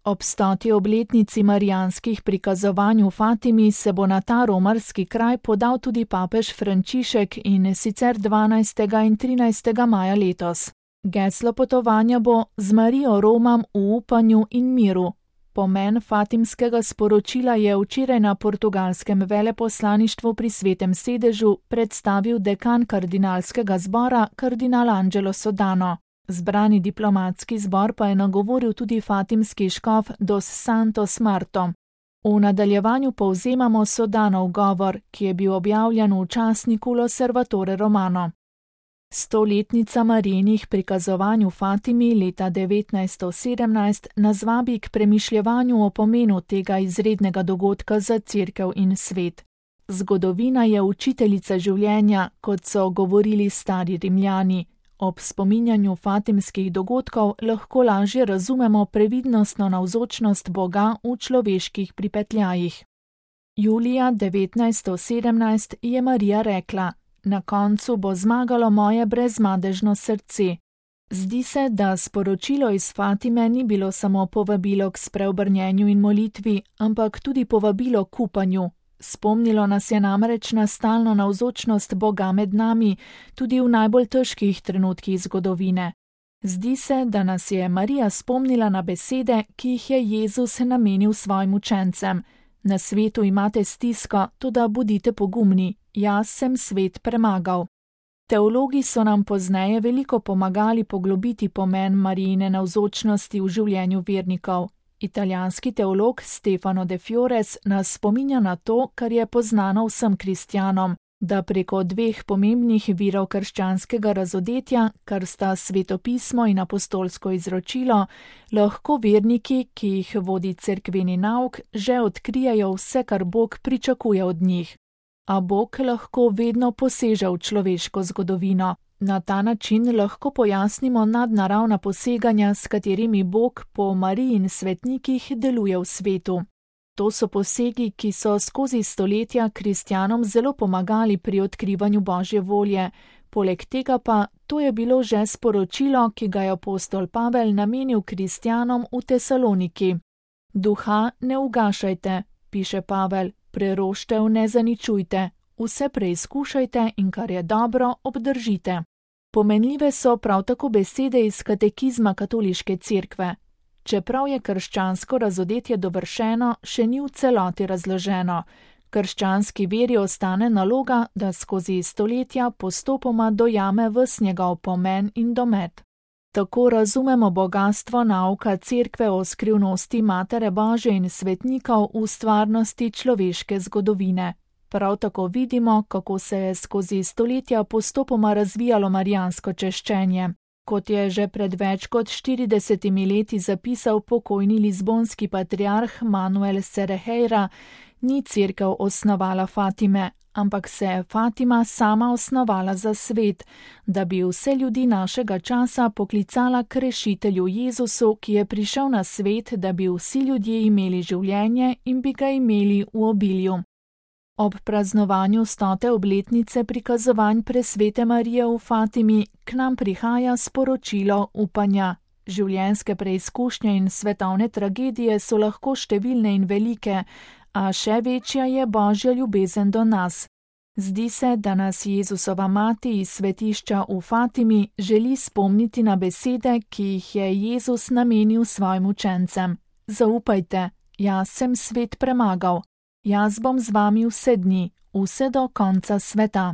Ob 100. obletnici marijanskih prikazovanj v Fatimi se bo na ta romarski kraj podal tudi papež Frančišek, in sicer 12. in 13. maja letos. Geslo potovanja bo Z Marijo romam v upanju in miru. Pomen fatimskega sporočila je včeraj na portugalskem veleposlaništvu pri Svetem sedežu predstavil dekan kardinalskega zbora kardinal Angelo Sodano. Zbrani diplomatski zbor pa je nagovoril tudi fatimski škof Dos Santos Marto. V nadaljevanju povzemamo Sodanov govor, ki je bil objavljen v časniku L'Osservatore Romano. 100-letnica Marijinih prikazovanj v Fatimi leta 1917 nas vabi k premišljevanju o pomenu tega izrednega dogodka za cerkev in svet. Zgodovina je učiteljica življenja, kot so govorili stari Rimljani. Ob spominjanju fatimskih dogodkov lahko lažje razumemo previdnostno navzočnost Boga v človeških pripetljajih. Julija 1917 je Marija rekla: Na koncu bo zmagalo moje brezmadežno srce. Zdi se, da sporočilo iz Fatime ni bilo samo povabilo k spreobrnjenju in molitvi, ampak tudi povabilo k upanju. Spomnilo nas je namreč na stalno navzočnost Boga med nami, tudi v najbolj težkih trenutkih zgodovine. Zdi se, da nas je Marija spomnila na besede, ki jih je Jezus namenil svojim učencem. Na svetu imate stisko, toda bodite pogumni, jaz sem svet premagal. Teologi so nam pozneje veliko pomagali poglobiti pomen Marijine navzočnosti v življenju vernikov. Italijanski teolog Stefano de Fiores nas spominja na to, kar je poznano vsem kristjanom, da preko dveh pomembnih virov krščanskega razodetja, kar sta svetopismo in apostolsko izročilo, lahko verniki, ki jih vodi cerkveni nauk, že odkrijejo vse, kar Bog pričakuje od njih. A Bog lahko vedno poseže v človeško zgodovino. Na ta način lahko pojasnimo nadnaravna poseganja, s katerimi Bog po Mariji in svetnikih deluje v svetu. To so posegi, ki so skozi stoletja kristjanom zelo pomagali pri odkrivanju Božje volje. Poleg tega pa to je bilo že sporočilo, ki ga je apostol Pavel namenil kristjanom v Tesaloniki. Duha ne ugašajte, piše Pavel, preroštev ne zaničujte, vse preizkušajte in kar je dobro, obdržite. Pomenljive so prav tako besede iz katekizma katoliške cerkve. Čeprav je krščansko razodetje dovršeno, še ni v celoti razloženo. Krščanski veri ostane naloga, da skozi stoletja postopoma dojame ves njegov pomen in domet. Tako razumemo bogastvo nauka cerkve o skrivnosti Matere Božje in svetnikov v stvarnosti človeške zgodovine. Prav tako vidimo, kako se je skozi stoletja postopoma razvijalo marijansko češčenje. Kot je že pred več kot 40 leti zapisal pokojni lizbonski patriarh Manuel Cereheira, ni cerkev osnovala Fatime, ampak se je Fatima sama osnovala za svet, da bi vse ljudi našega časa poklicala k rešitelju Jezusu, ki je prišel na svet, da bi vsi ljudje imeli življenje in bi ga imeli v obilju. Ob praznovanju 100. obletnice prikazovanj presvete Marije v Fatimi k nam prihaja sporočilo upanja. Življenjske preizkušnje in svetovne tragedije so lahko številne in velike, a še večja je Božja ljubezen do nas. Zdi se, da nas Jezusova mati iz svetišča v Fatimi želi spomniti na besede, ki jih je Jezus namenil svojim učencem. Zaupajte, jaz sem svet premagal. Jaz bom z vami vse dni, vse do konca sveta.